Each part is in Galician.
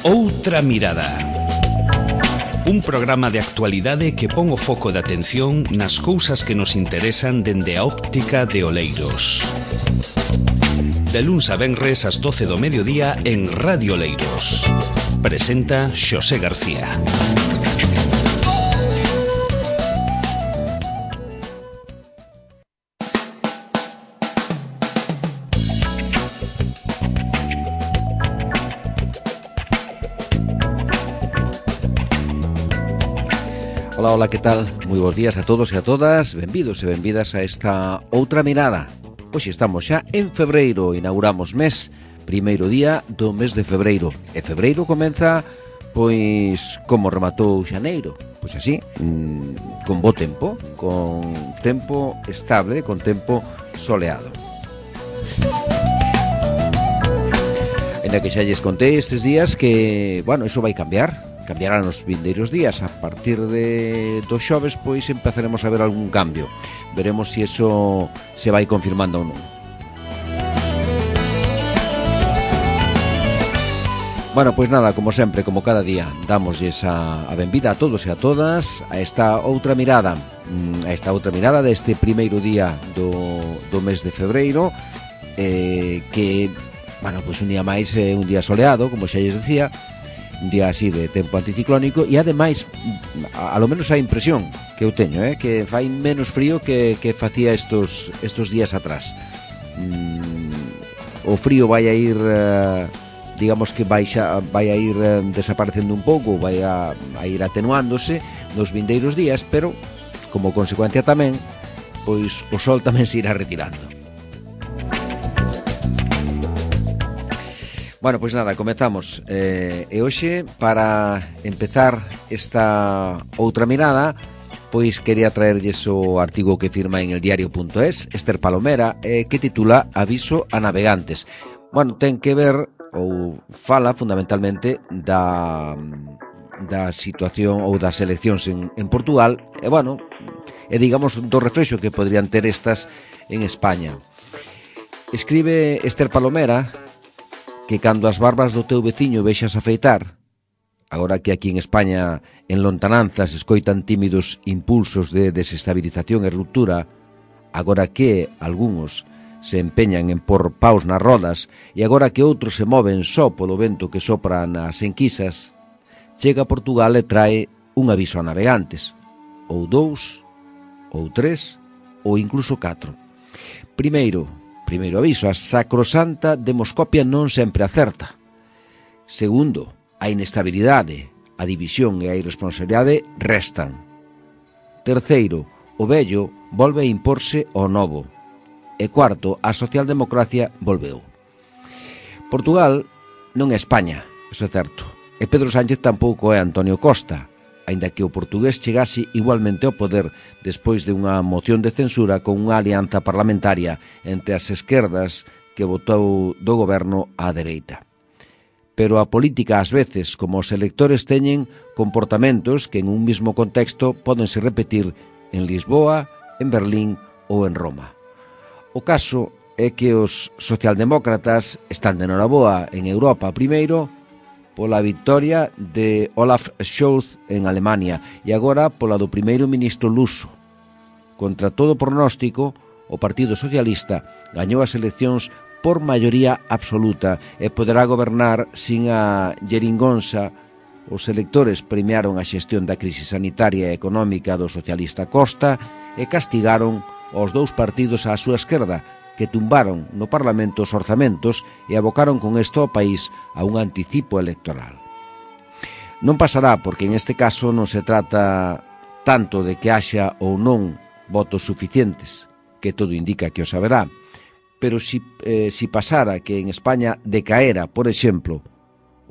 Outra mirada. Un programa de actualidade que pon o foco de atención nas cousas que nos interesan dende a óptica de Oleiros. De luns a venres ás 12 do mediodía en Radio Oleiros. Presenta Xosé García. Ola, ola, que tal? Moi bons días a todos e a todas. Benvidos e benvidas a esta outra mirada. Hoxe estamos xa en febreiro, inauguramos mes, primeiro día do mes de febreiro. E febreiro comeza, pois, como rematou xaneiro. Pois así, con bo tempo, con tempo estable, con tempo soleado. En a que xa lles contei estes días que, bueno, iso vai cambiar. Cambiarán os vindeiros días. A partir dos xoves, pois, empezaremos a ver algún cambio. Veremos se iso se vai confirmando ou non. Bueno, pois nada, como sempre, como cada día, damosles a benvida a todos e a todas a esta outra mirada. A esta outra mirada deste primeiro día do mes de febreiro, que, bueno, pois un día máis, un día soleado, como xa lles decía, un día así de tempo anticiclónico, e ademais, a lo menos a impresión que eu teño, que fai menos frío que facía estos días atrás. O frío vai a ir, digamos que vai a ir desaparecendo un pouco, vai a ir atenuándose nos vindeiros días, pero como consecuencia tamén, pois o sol tamén se irá retirando. Bueno, pois nada, comezamos. E hoxe, para empezar esta outra mirada, pois quería traerlles o artigo que firma en eldiario.es Esther Palomera, que titula Aviso a navegantes. Bueno, ten que ver, ou fala fundamentalmente da situación ou das eleccións en Portugal, e bueno, e digamos do reflexo que podrían ter estas en España. Escribe Esther Palomera que cando as barbas do teu veciño vexas afeitar, agora que aquí en España en lontananzas escoitan tímidos impulsos de desestabilización e ruptura, agora que algúns se empeñan en por paus nas rodas e agora que outros se moven só polo vento que sopra nas enquisas, chega a Portugal e trae un aviso a navegantes, ou 2, ou 3, ou incluso 4. Primeiro aviso, a sacrosanta demoscopia non sempre acerta. Segundo, a inestabilidade, a división e a irresponsabilidade restan. Terceiro, o vello volve a imporse ao novo. E cuarto, a socialdemocracia volveu. Portugal non é España, iso é certo. E Pedro Sánchez tampouco é Antonio Costa, aínda que o portugués chegase igualmente ao poder despois de unha moción de censura con unha alianza parlamentaria entre as esquerdas que votou do goberno á dereita. Pero a política, ás veces, como os electores teñen comportamentos que en un mesmo contexto pódense repetir en Lisboa, en Berlín ou en Roma. O caso é que os socialdemócratas están de noraboa en Europa, primeiro pola victoria de Olaf Scholz en Alemania e agora pola do primeiro ministro luso. Contra todo pronóstico, o Partido Socialista gañou as eleccións por maioría absoluta e poderá gobernar sin a geringonza. Os electores premiaron a xestión da crise sanitaria e económica do socialista Costa e castigaron os dous partidos á súa esquerda, que tumbaron no Parlamento os orzamentos e abocaron con isto ao país a un anticipo electoral. Non pasará porque en este caso non se trata tanto de que haxa ou non votos suficientes, que todo indica que o saberá, pero si pasara que en España decaera, por exemplo,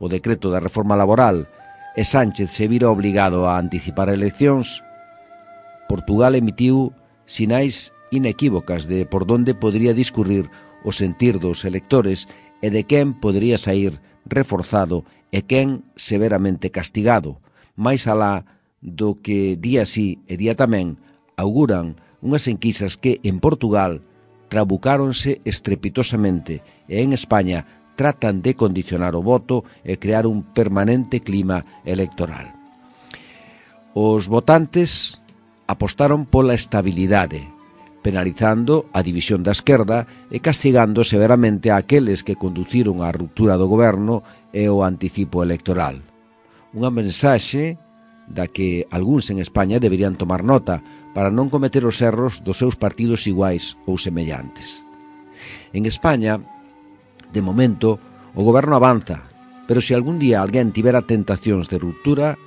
o decreto da reforma laboral e Sánchez se vira obligado a anticipar eleccións, Portugal emitiu sinais inequívocas de por donde podría discurrir o sentir dos electores e de quen podría sair reforzado e quen severamente castigado, máis alá do que día sí e día tamén auguran unhas enquisas que en Portugal trabucáronse estrepitosamente e en España tratan de condicionar o voto e crear un permanente clima electoral. Os votantes apostaron pola estabilidade, penalizando a división da esquerda e castigando severamente a aqueles que conduciron á ruptura do goberno e o anticipo electoral. Unha mensaxe da que algúns en España deberían tomar nota para non cometer os erros dos seus partidos iguais ou semellantes. En España, de momento, o goberno avanza, pero se algún día alguén tivera tentacións de ruptura,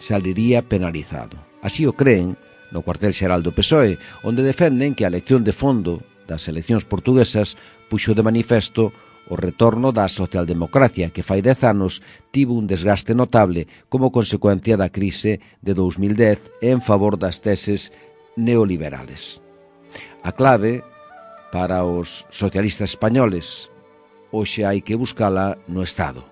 saliría penalizado. Así o creen no cuartel xeral do PSOE, onde defenden que a elección de fondo das eleccións portuguesas puxo de manifesto o retorno da socialdemocracia, que fai 10 anos tivo un desgaste notable como consecuencia da crise de 2010 en favor das teses neoliberales. A clave para os socialistas españoles hoxe hai que buscala no Estado,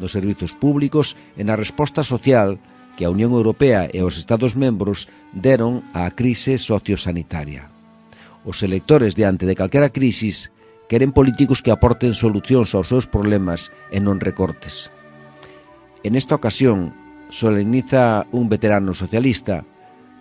nos servizos públicos e na resposta social que a Unión Europea e os Estados membros deron á crise sociosanitaria. Os electores diante de calquera crisis queren políticos que aporten solucións aos seus problemas e non recortes. En esta ocasión, solemniza un veterano socialista,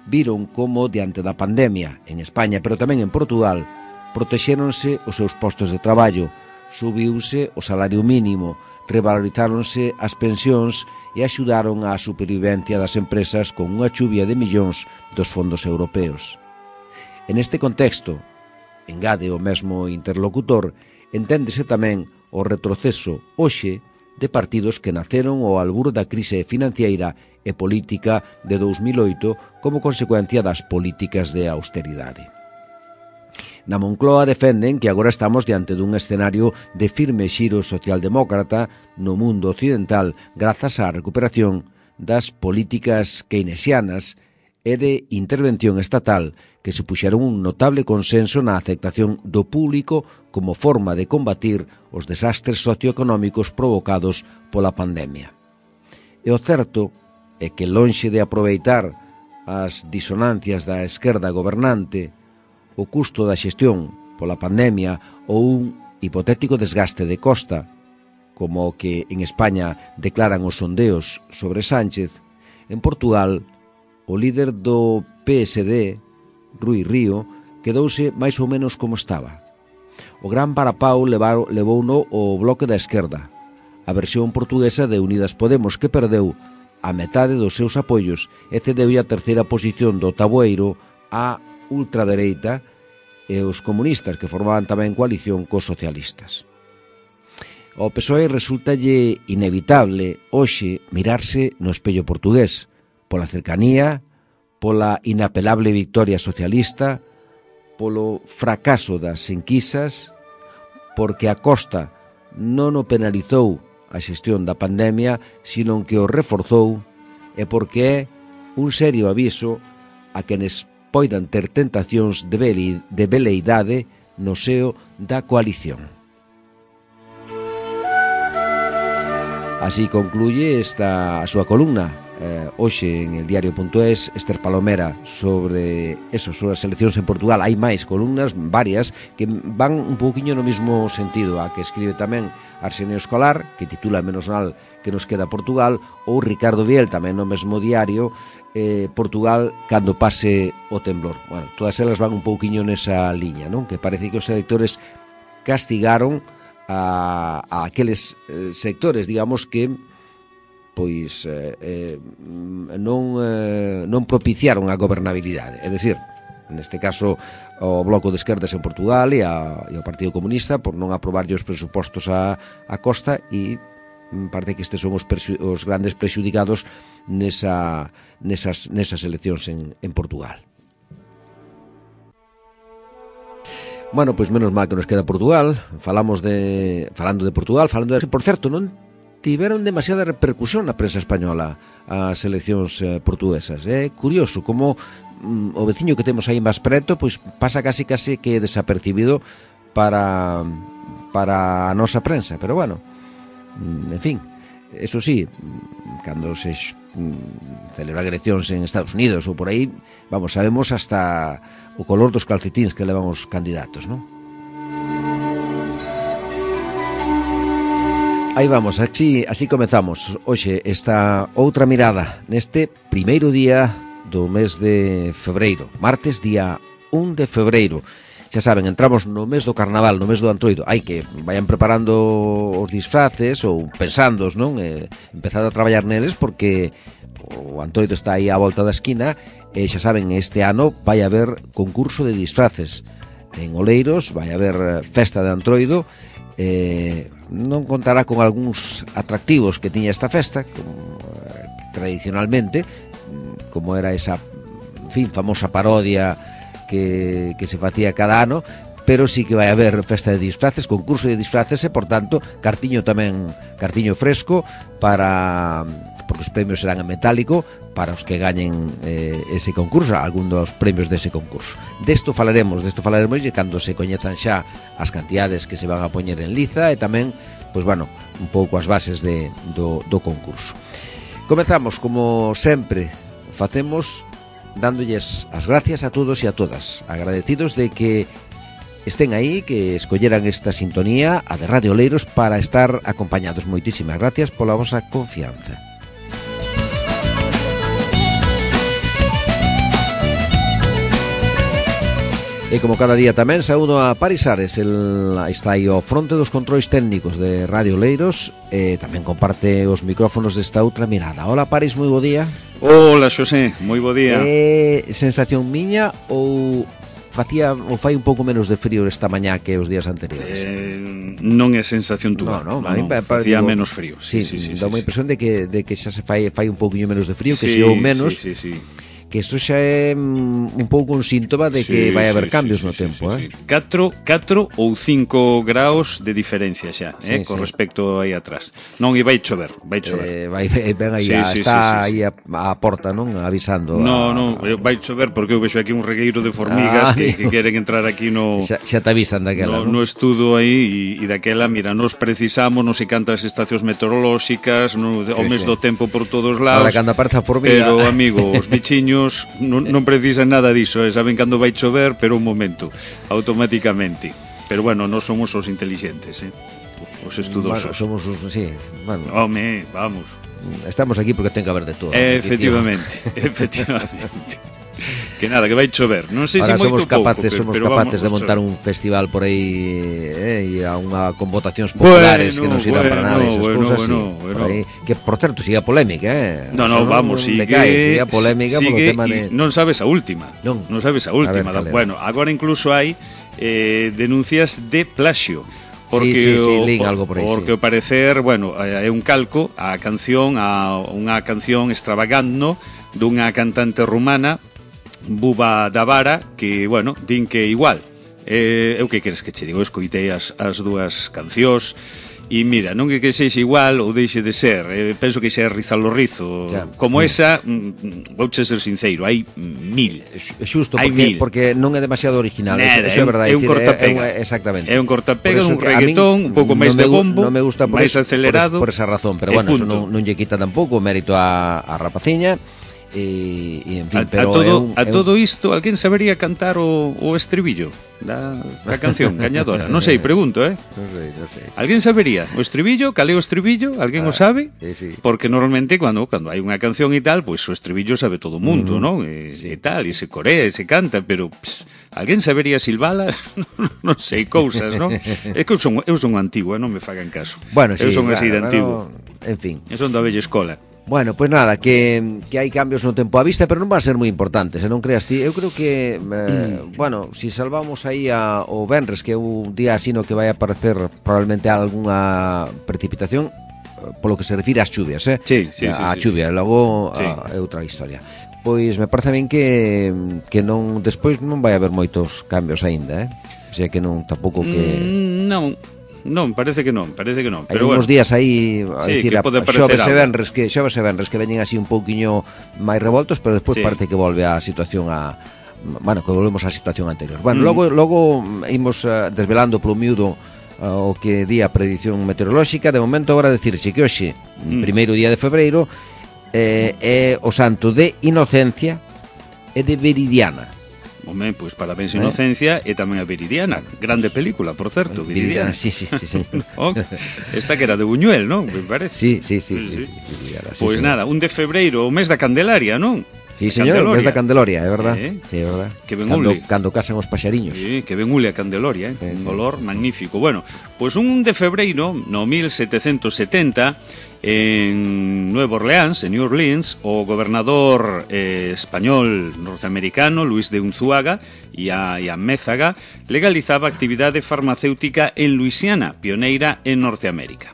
viron como, diante da pandemia, en España, pero tamén en Portugal, protexéronse os seus postos de traballo, subiuse o salario mínimo, revalorizáronse as pensións e axudaron á supervivencia das empresas con unha chuvia de millóns dos fondos europeos. En este contexto, engade o mesmo interlocutor, enténdese tamén o retroceso hoxe de partidos que naceron ao albur da crise financiera e política de 2008 como consecuencia das políticas de austeridade. Na Moncloa defenden que agora estamos diante dun escenario de firme xiro socialdemócrata no mundo occidental grazas á recuperación das políticas keynesianas e de intervención estatal que supuxeron un notable consenso na aceptación do público como forma de combatir os desastres socioeconómicos provocados pola pandemia. E o certo é que, lonxe de aproveitar as disonancias da esquerda gobernante, o custo da xestión pola pandemia ou un hipotético desgaste de Costa, como o que en España declaran os sondeos sobre Sánchez, en Portugal, o líder do PSD, Rui Río, quedouse máis ou menos como estaba. O gran varapau levouno o bloque da esquerda, a versión portuguesa de Unidas Podemos, que perdeu a metade dos seus apoios e cedeulle a terceira posición do tabueiro á ultradereita e os comunistas, que formaban tamén coalición cos socialistas. Ao PSOE resultalle inevitable hoxe mirarse no espello portugués, pola cercanía, pola inapelable victoria socialista, polo fracaso das enquisas, porque a Costa non o penalizou a xestión da pandemia, sino que o reforzou, e porque é un serio aviso a quenes poidan ter tentacións de veleidade no seo da coalición. Así concluye esta a súa columna hoxe en el diario.es, Ester Palomera, sobre as eleccións en Portugal. Hai máis columnas, varias, que van un pouquiño no mesmo sentido, a que escribe tamén Arsenio Escolar, que titula Menos mal que nos queda Portugal, ou Ricardo Viel, tamén no mesmo diario, Portugal cando pase o temblor. Bueno, todas elas van un pouquiño nesa liña, non? Que parece que os electores castigaron a aqueles sectores, digamos, que pois non propiciaron a gobernabilidade. É dicir, neste caso, o Bloco de Esquerdas en Portugal e o Partido Comunista por non aprobarlle os presupostos a Costa, e parece que estes son os grandes prexudicados nesas eleccións en Portugal. Bueno, pois menos mal que nos queda Portugal. Falando de Portugal, por certo, non tiveron demasiada repercusión na prensa española as eleccións portuguesas. É curioso como o veciño que temos aí máis preto pois pasa casi que desapercibido para a nosa prensa, pero bueno, en fin, eso sí, cando se celebran eleccións en Estados Unidos ou por aí, vamos, sabemos hasta o color dos calcetíns que levan os candidatos, non? Aí vamos, así comezamos hoxe esta outra mirada neste primeiro día do mes de febreiro, martes día 1 de febreiro. Xa saben, entramos no mes do carnaval, no mes do Antroido. Hai que vayan preparando os disfraces ou pensándoos, non? Empezado a traballar neles porque o Antroido está aí á volta da esquina e xa saben, este ano vai haber concurso de disfraces en Oleiros, vai haber festa de Antroido. Non contará con algúns atractivos que tiña esta festa como, tradicionalmente, como era esa, en fin, famosa parodia que se facía cada ano, pero sí que vai haber festa de disfraces, concurso de disfraces e, por tanto, cartiño tamén, fresco porque os premios serán en metálico para os que gañen ese concurso, algún dos premios dese concurso. Desto falaremos e cando se coñezan xa as cantidades que se van a poñer en liza e tamén, pois bueno, un pouco as bases do concurso. Comezamos, como sempre facemos, dándolles as gracias a todos e a todas, agradecidos de que estén aí, que escolleran esta sintonía, a de Radio Oleiros, para estar acompañados. Moitísimas gracias pola vosa confianza. E como cada día tamén saúdo a Paris Ares, está aí ao fronte dos controis técnicos de Radio Oleiros e tamén comparte os micrófonos desta outra mirada. Hola Paris, moi bo día. Hola Xosé, moi bo día. Sensación miña ou fai un pouco menos de frío esta mañá que os días anteriores? Non é sensación túa. No, facía menos frío. Sí, dá unha impresión de que xa se fai un pouquinho menos de frío, que se ou menos. Sí. Que isto xa é un pouco un síntoma de que vai haber cambios no tempo. 4 ou 5 graus de diferencia xa, con respecto aí atrás. Non, e vai chover. Ben aí, está aí a porta, non? Avisando. Non, vai chover porque eu vexo aquí un regueiro de formigas que queren entrar aquí no... Xa te avisan daquela, non? No estudo aí, e daquela, mira, nos precisamos, non sei cantas estacións meteorolóxicas, o mes do tempo por todos lados. Para cando aparece a formiga. Pero, amigo, os bichiños non precisan nada diso, saben cando vai chover, pero un momento, automáticamente. Pero bueno, non somos os inteligentes, os estudosos. Somos os, sí, bueno. Home, vamos. Estamos aquí porque ten que haber de todo. Efectivamente. Que nada, que vai chover. Non sei se moito pouco, somos capaces de montar un festival por aí con votacións populares que non sirvan para nada esas cousas. Que, por certo, sigue a polémica, No, vamos, sigue a polémica polo tema de... Non sabes a última. Non sabes a última. Bueno, agora incluso hai denuncias de plagio. Porque lín algo por aí. Porque ao parecer, bueno, é un calco a unha canción extravagando dunha cantante rumana, Buba Davara, que, bueno, din que igual. Eu que queres que che digo? Eu escoitei as dúas cancións e mira, non é que sexa igual ou deixe de ser, penso que xa é rizalo rizo. Como esa, vouche ser sincero, hai 1000. Xusto, porque non é demasiado original. Nada, é verdade, é un cortapega. Exactamente. É un cortapega, un reggaetón, un pouco máis de bombo, non me gusta máis acelerado. Por esa razón, pero bueno, eso non lle quita tampouco o mérito a rapaciña. E en fin, pero a todo isto, alguén sabería cantar o estribillo da canción gañadora? Non sei, pregunto, Non sei. Alguén sabería o estribillo? Cal é o estribillo? Alguén o sabe? Sí. Porque normalmente cando hai unha canción e tal, pois o estribillo sabe todo o mundo, non? E tal, e se corea, e se canta, pero alguén sabería silbala? Non sei, cousas, non? É que eu son antigo, non me fagan caso. Bueno, eu son así de antigo. En fin. Eu son da vella escola. Bueno, pois nada, que hai cambios no tempo a vista, pero non van a ser moi importantes, non creas ti. Eu creo que, bueno, si salvamos aí o venres, que é un día así no que vai aparecer probablemente algunha precipitación, polo que se refire ás chuvias, Sí. A chuvia, logo é outra historia. Pois me parece ben que non despois non vai haber moitos cambios aínda, O sea que non, tampouco que... Non, parece que non. Pero hai uns días aí, a dicir, xoves e venres que veñen así un pouquiño máis revoltos, pero despois parece que volve a situación que volvemos á situación anterior. Bueno, logo imos desvelando polo miúdo o que di a predición meteorolóxica. De momento agora decirse que hoxe, primeiro día de febreiro, é o santo de Inocencia e de Veridiana. Home, pois parabéns Inocencia e tamén a Viridiana, grande película, por certo, Viridiana. Sí. Esta que era de Buñuel, non? Me parece. Sí. Pois nada, 1 de febreiro, o mes da Candelaria, non? Sí, señor, o mes da Candeloria, é verdad. Sí, é verdad. Que ben ule. Cando casan os paxariños. Sí, que ben ule a Candeloria, un olor magnífico. Bueno, pois 1 de febreiro, no 1770, en Nueva Orleans, en New Orleans, o gobernador español norteamericano Luis de Unzuaga e a Mézaga legalizaba a actividade farmacéutica en Luisiana, pioneira en Norteamérica.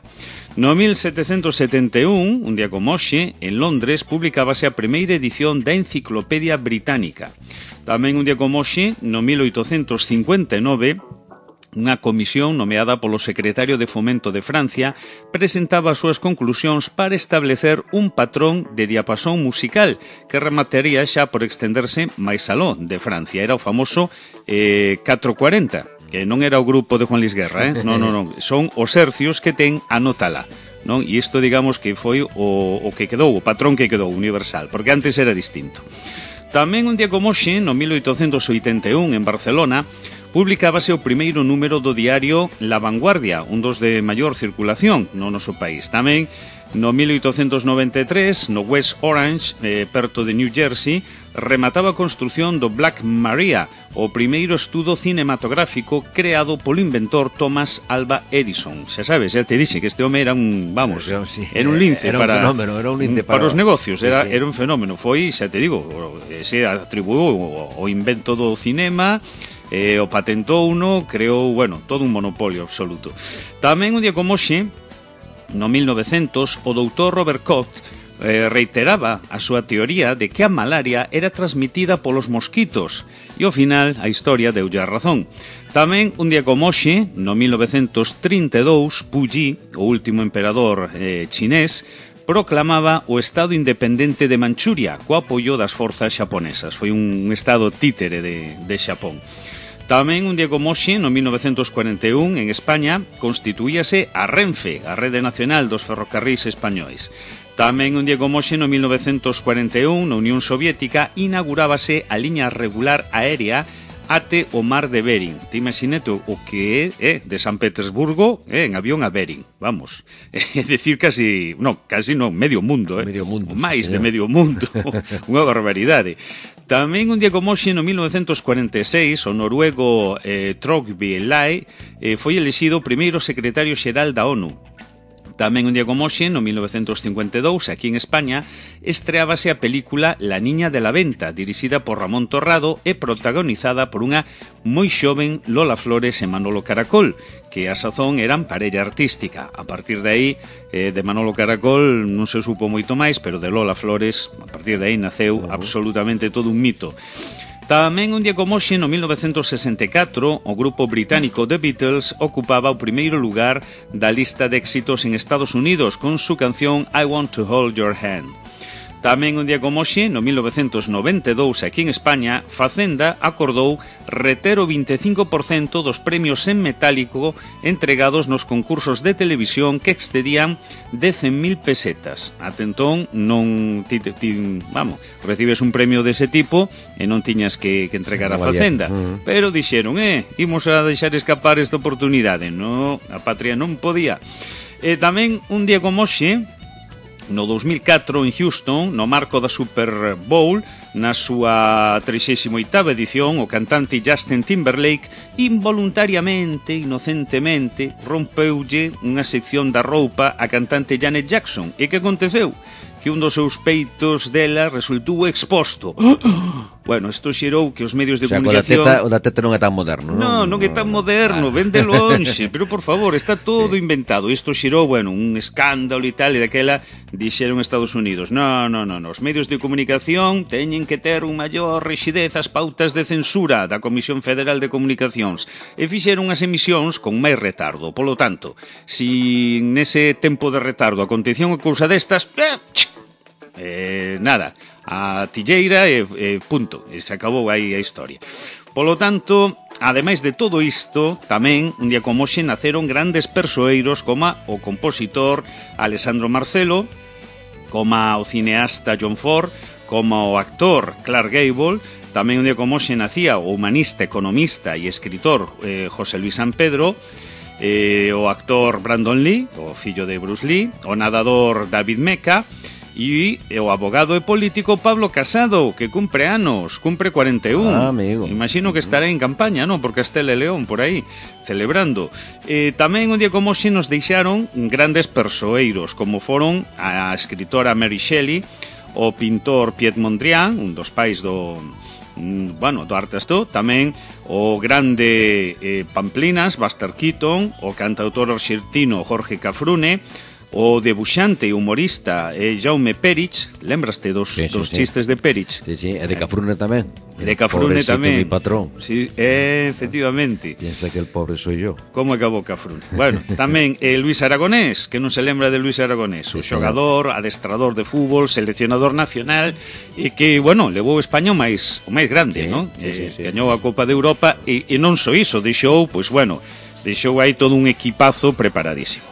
No 1771, un día como hoxe, en Londres, publicábase a primeira edición da Enciclopedia Británica. Tamén un día como hoxe, no 1859, unha comisión nomeada polo secretario de Fomento de Francia presentaba as súas conclusións para establecer un patrón de diapasón musical que remataría xa por extenderse máis aló de Francia. Era o famoso 440, que non era o grupo de Juan Luis Guerra, non. Son os hercios que ten a nota lá, non? E isto, digamos, que foi o que quedou, o patrón que quedou universal, porque antes era distinto. Tamén un día como hoxe, no 1881, en Barcelona, publicábase o primeiro número do diario La Vanguardia, un dos de maior circulación no noso país. Tamén, no 1893, no West Orange, perto de New Jersey, remataba a construción do Black Maria, o primeiro estudo cinematográfico creado polo inventor Thomas Alva Edison. Xa sabes, xa te dixe que este home era un, vamos, era un lince para os negocios, era un fenómeno. Foi, xa te digo, se atribuiu o invento do cinema, o patentou uno, creou, bueno, todo un monopolio absoluto. Tamén un día como hoxe, no 1900, o doutor Robert Koch reiteraba a súa teoría de que a malaria era transmitida polos mosquitos e ao final a historia deulle a razón. Tamén un día como hoxe, no 1932, Puyi, o último emperador chinés, proclamaba o Estado independente de Manchuria co apoio das forzas xaponesas. Foi un estado títere de Xapón. Tamén un día como hoxe, no 1941, en España, constituíase a Renfe, a Rede Nacional dos Ferrocarrís Españois. Tamén un día como hoxe, no 1941, na Unión Soviética, inaugurábase a liña regular aérea até o mar de Bering. Te imaginete o que é de San Petersburgo en avión a Bering. Vamos, é dicir casi non, medio mundo, medio mundo, máis de medio mundo. Unha barbaridade. Tamén un día como hoxe, no 1946, o noruego Trygve Lie foi elixido o primeiro secretario xeral da ONU. Tamén un día como hoxe, no 1952, aquí en España, estreábase a película La niña de la venta, dirixida por Ramón Torrado e protagonizada por unha moi xoven Lola Flores e Manolo Caracol, que a sazón eran parella artística. A partir de aí, de Manolo Caracol non se supo moito máis, pero de Lola Flores, a partir de aí naceu absolutamente todo un mito. Tamén un día como hoxe, no 1964, o grupo británico The Beatles ocupaba o primeiro lugar da lista de éxitos en Estados Unidos con su canción I Want to Hold Your Hand. Tamén un día como hoxe, no 1992, aquí en España, Facenda acordou reter o 25% dos premios en metálico entregados nos concursos de televisión que excedían de 100.000 pesetas. Ate entón, non recibes un premio dese tipo e non tiñas que entregar a Facenda. Pero dixeron, imos a deixar escapar esta oportunidade. No, a patria non podía. E tamén un día como hoxe, no 2004, en Houston, no marco da Super Bowl, na súa 38ª edición, o cantante Justin Timberlake involuntariamente, inocentemente, rompeulle unha sección da roupa a cantante Janet Jackson. E que aconteceu? Que un dos seus peitos dela resultou exposto. Bueno, isto xerou que os medios de comunicación... O da teta non é tan moderno, non? Non é tan moderno, ven de lonxe, pero por favor, está todo inventado. Isto xerou, bueno, un escándalo e tal, e daquela dixeron Estados Unidos. Non, os medios de comunicación teñen que ter un maior rigidez as pautas de censura da Comisión Federal de Comunicacións e fixeron as emisións con máis retardo. Polo tanto, si nese tempo de retardo acontecía unha cousa destas, nada, a tilleira e punto, e se acabou aí a historia. Polo tanto, ademais de todo isto, tamén un día como hoxe naceron grandes persoeiros como o compositor Alessandro Marcelo, como o cineasta John Ford, como o actor Clark Gable, tamén un día como hoxe nacía o humanista, economista e escritor José Luis San Pedro, o actor Brandon Lee, o fillo de Bruce Lee, o nadador David Meca, e o abogado e político Pablo Casado, que cumpre anos, cumpre 41. Amigo. Imagino que estará en campaña, non? Por Castela e León, por aí, celebrando. Tamén un día como hoxe nos deixaron grandes persoeiros, como foron a escritora Mary Shelley, o pintor Piet Mondrian, un dos pais do arte asto, tamén o grande Pamplinas, Buster Keaton, o cantautor arxentino Jorge Cafrune, o debuxante e humorista Jaume Perich. Lembraste dos chistes de Perich? Sí, e de Cafrune tamén. E de Cafrune tamén. Mi patrón. Sí, efectivamente. Piensa que el pobre soy yo. Como acabou Cafrune? Bueno, tamén Luis Aragonés, que non se lembra de Luis Aragonés, o xogador, adestrador de fútbol, seleccionador nacional, e que, bueno, levou España o máis grande, non? Gañou a Copa de Europa e non só iso, deixou aí todo un equipazo preparadísimo.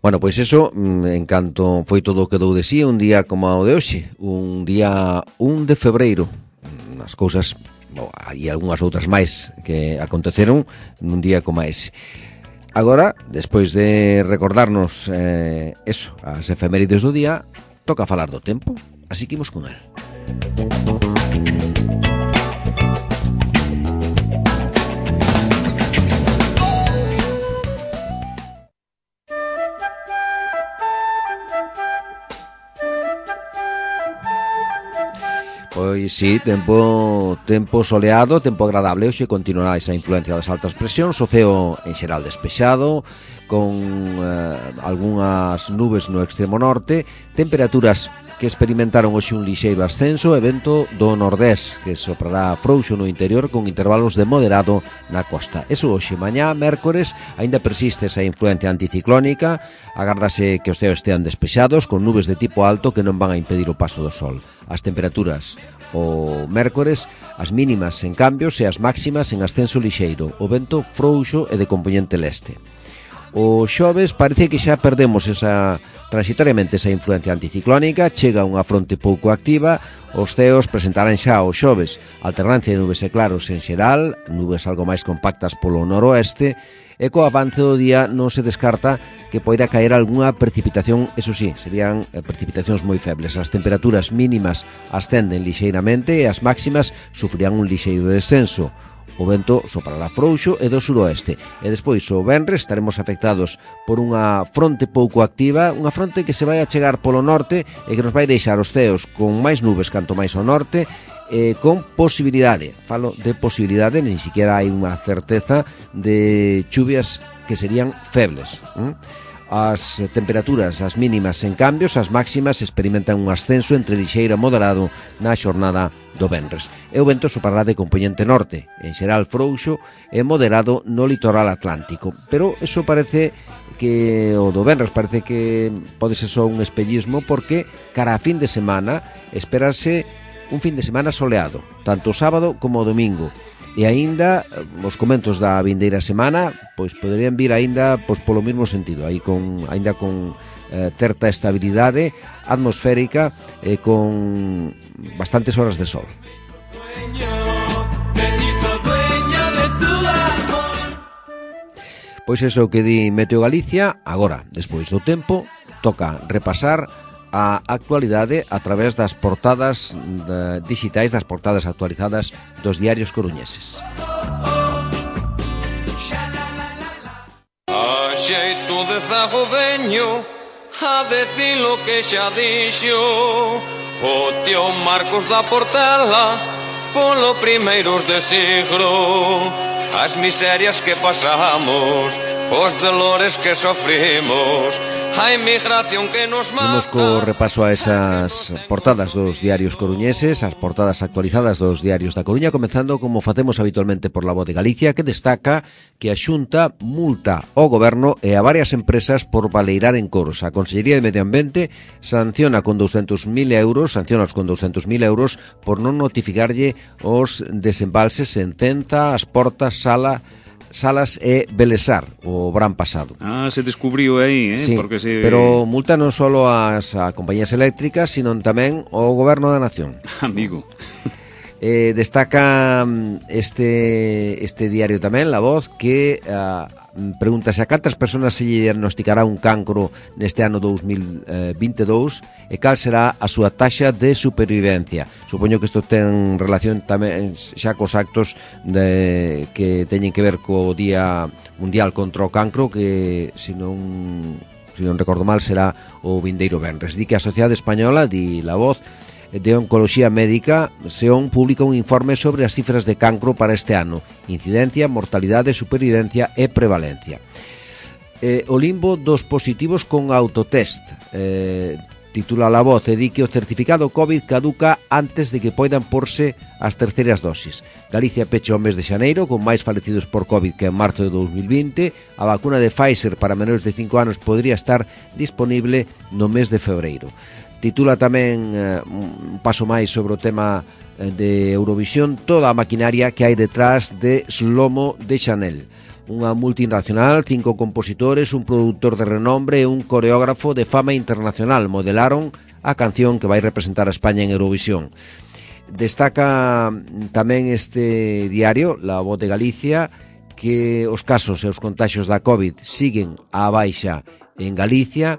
Bueno, pois eso, en canto foi todo o que dou de sí, un día como o de hoxe, un día 1 de febreiro, as cousas, e algunhas outras máis que aconteceron nun día como ese. Agora, despois de recordarnos eso, as efemérides do día, toca falar do tempo, así que imos con el. Pois sí, tempo soleado, tempo agradable. Hoxe continuará esa influencia das altas presións, o ceo en xeral despexado, con algunhas nubes no extremo norte, temperaturas que experimentaron hoxe un lixeiro ascenso e vento do nordés, que soprará frouxo no interior con intervalos de moderado na costa. Eso hoxe, mañá, mércores, aínda persiste esa influencia anticiclónica, agárdase que os ceos estean despexados, con nubes de tipo alto que non van a impedir o paso do sol. As temperaturas o mércores, as mínimas en cambios e as máximas en ascenso lixeiro, o vento frouxo e de compoñente leste. O xoves parece que xa perdemos transitoriamente esa influencia anticiclónica, chega unha fronte pouco activa, os ceos presentarán xa o xoves alternancia de nubes e claros en xeral, nubes algo máis compactas polo noroeste, e co avance do día non se descarta que poida caer algunha precipitación, eso sí, serían precipitacións moi febles. As temperaturas mínimas ascenden lixeiramente e as máximas sufrirán un lixeiro descenso. O vento soprará frouxo e do suroeste. E despois, o venres, estaremos afectados por unha fronte pouco activa, unha fronte que se vai a chegar polo norte e que nos vai deixar os ceos con máis nubes canto máis ao norte, con posibilidade, falo de posibilidade, nin siquiera hai unha certeza de chuvias que serían febles. As temperaturas, as mínimas en cambios, as máximas experimentan un ascenso entre lixeiro e moderado na xornada do venres. E o vento soprará de compoñente norte, en xeral frouxo e moderado no litoral atlántico. Pero eso parece que o do venres parece que pode ser só un espellismo, porque cara a fin de semana espérase un fin de semana soleado, tanto o sábado como o domingo. E aínda os comentos da vindeira semana pois poderían vir aínda pois polo mesmo sentido, aí aínda con certa estabilidade atmosférica e con bastantes horas de sol. Pois eso que di Meteo Galicia. Agora, despois do tempo, toca repasar a actualidade a través das portadas digitais, das portadas actualizadas dos diarios coruñeses. A xeito de zagodeño, a decir lo que xa dixo o tío Marcos da Portela polo primeiros de siglo. As miserias que pasamos, os dolores que sofrimos, a emigración que nos mata. Vamos co repaso a esas portadas dos diarios coruñeses, as portadas actualizadas dos diarios da Coruña, comenzando como facemos habitualmente por La Voz de Galicia, que destaca que a Xunta multa ao Goberno e a varias empresas por baleirar en coros. A Consellería de Medio Ambiente sanciona os con 200.000 euros por non notificarlle os desembalses en Centa, As Portas, Sala, Salas e Belesar o verán pasado. Se descubriu aí, sí, porque pero multa non só a compañías eléctricas, sino tamén o goberno da nación. Amigo. Destaca este diario tamén, La Voz, que pregúntase a cantas persoas se lle diagnosticará un cancro neste ano 2022 e cal será a súa taxa de supervivencia. Supoño que isto ten relación tamén xa cos actos que teñen que ver co Día Mundial contra o Cancro, que se non recordo mal será o vindeiro venres. Di que a Sociedade Española, di La Voz, de Oncoloxía Médica, SEON, publica un informe sobre as cifras de cancro para este ano: incidencia, mortalidade, supervivencia e prevalencia. O limbo dos positivos con autotest, titula La Voz, e di que o certificado COVID caduca antes de que poidan porse as terceiras dosis. Galicia pecha o mes de xaneiro con máis falecidos por COVID que en marzo de 2020. A vacuna de Pfizer para menores de 5 anos podría estar disponible no mes de febreiro. Titula tamén un paso máis sobre o tema de Eurovisión, toda a maquinaria que hai detrás de Slomo de Chanel. Unha multinacional, 5 compositores, un produtor de renombre e un coreógrafo de fama internacional modelaron a canción que vai representar a España en Eurovisión. Destaca tamén este diario, La Voz de Galicia, que os casos e os contaxios da COVID siguen á baixa en Galicia.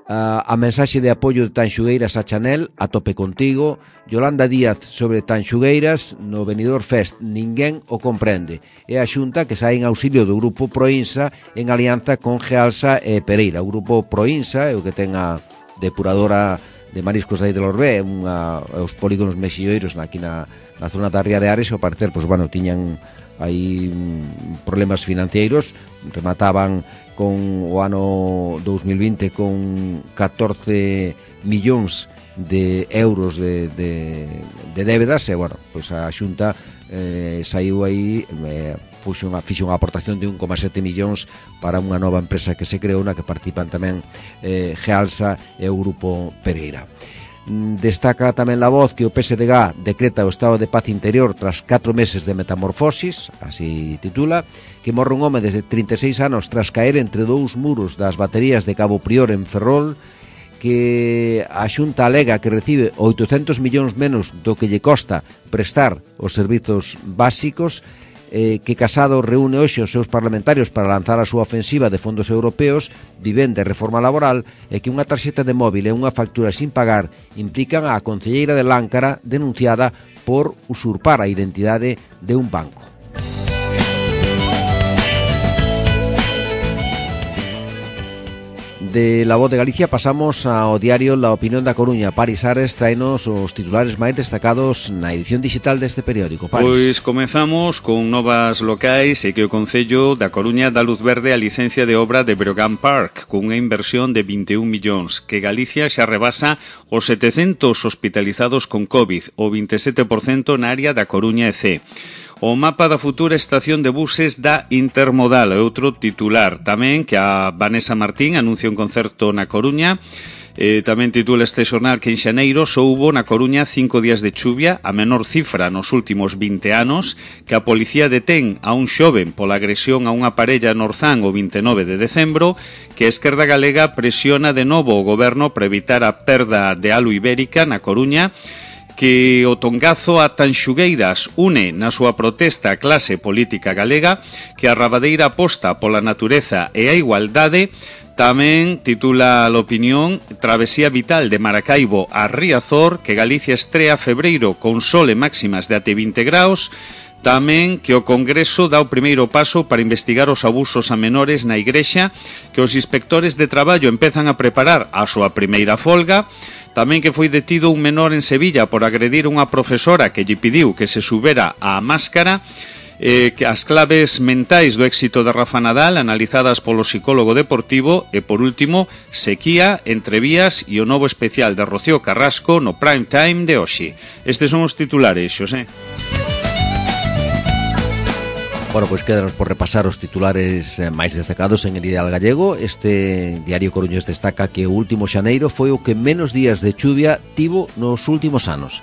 A mensaxe de apoio de Tanxugueiras a Chanel, a tope contigo. Yolanda Díaz sobre Tanxugueiras no Benidorm Fest, ninguén o comprende. É a Xunta que sae en auxilio do grupo Proinsa en alianza con Gealsa e Pereira. O grupo Proinsa é o que ten a depuradora de mariscos de Lorbe, os polígonos mexilloiros aquí na zona da Ría de Ares, e ao parecer, tiñan aí problemas financeiros, remataban con o ano 2020 con 14 millóns de euros de débedas, e a Xunta saiu aí, fixo unha aportación de 1,7 millóns para unha nova empresa que se creou, na que participan tamén Gealsa e o grupo Pereira. Destaca tamén La Voz que o PSDG decreta o estado de paz interior tras 4 meses de metamorfosis, así titula, que morre un home desde 36 anos tras caer entre dous muros das baterías de Cabo Prior en Ferrol, que a Xunta alega que recibe 800 millóns menos do que lle costa prestar os servizos básicos, que Casado reúne hoxe os seus parlamentarios para lanzar a súa ofensiva de fondos europeos, vivenda e reforma laboral, e que unha tarxeta de móvil e unha factura sin pagar implican a concelleira de Láncara denunciada por usurpar a identidade de un banco. De La Voz de Galicia pasamos ao diario La Opinión da Coruña. Paris Ares traenos os titulares máis destacados na edición digital deste periódico. Paris. Pois comezamos con novas locais e que o Concello da Coruña dá luz verde á licencia de obra de Breogán Park cunha inversión de 21 millóns, que Galicia xa rebasa os 700 hospitalizados con COVID, o 27% na área da Coruña e C. O mapa da futura estación de buses da Intermodal é outro titular. Tamén que a Vanessa Martín anuncia un concerto na Coruña. Tamén titula este xornal que en xaneiro só hubo na Coruña 5 días de chuvia, a menor cifra nos últimos 20 anos, que a policía detén a un xoven pola agresión a unha parella no Orzán o 29 de decembro, que a Esquerda Galega presiona de novo o goberno para evitar a perda de halo ibérica na Coruña, que o tongazo a Tanxugueiras une na súa protesta a clase política galega, que a Rabadeira aposta pola natureza e a igualdade. Tamén titula a Opinión Travesía vital de Maracaibo a Riazor, que Galicia estrea febreiro con sol e máximas de até 20 graus. Tamén que o Congreso dá o primeiro paso para investigar os abusos a menores na Igrexa, que os inspectores de traballo empezan a preparar a súa primeira folga. Tamén que foi detido un menor en Sevilla por agredir unha profesora que lle pediu que se subera á máscara. Que as claves mentais do éxito de Rafa Nadal analizadas polo psicólogo deportivo. E por último, sequía, entrevías e o novo especial de Rocío Carrasco no prime time de hoxe. Estes son os titulares, Xosé. Bueno, pois quedanos por repasar os titulares máis destacados en el Ideal Gallego. Este diario coruñés destaca que o último xaneiro foi o que menos días de chuvia tivo nos últimos anos.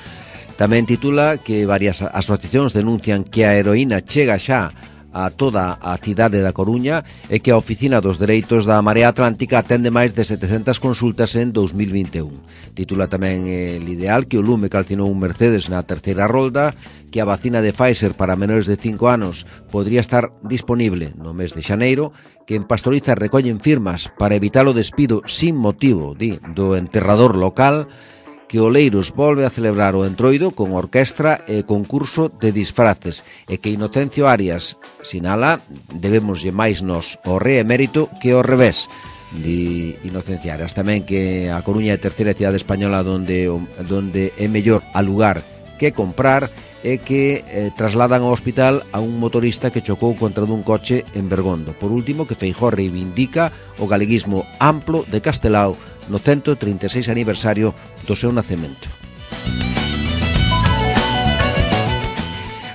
Tamén titula que varias asociacións denuncian que a heroína chega xa a toda a cidade da Coruña e que a Oficina dos Dereitos da Marea Atlántica atende máis de 700 consultas en 2021. Titula tamén el Ideal que o lume calcinou un Mercedes na terceira rolda, que a vacina de Pfizer para menores de 5 anos podría estar disponible no mes de xaneiro, que en Pastoriza recollen firmas para evitar o despido sin motivo do enterrador local, que Oleiros volve a celebrar o Entroido con orquestra e concurso de disfraces e que Inocencio Arias sinala debemoslle máis nos o re emérito que o revés. Di Inocencio Arias tamén que a Coruña é a terceira cidade española donde é mellor alugar que comprar e que trasladan ao hospital a un motorista que chocou contra dun coche en Bergondo. Por último, que Feijóo reivindica o galeguismo amplo de Castelao no 136 aniversario do seu nacemento.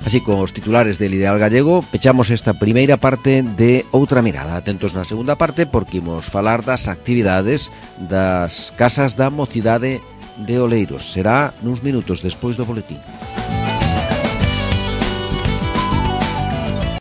Así, con os titulares del Ideal Gallego, pechamos esta primeira parte de Outra Mirada. Atentos na segunda parte porque imos falar das actividades das Casas da Mocidade de Oleiros. Será nuns minutos despois do boletín.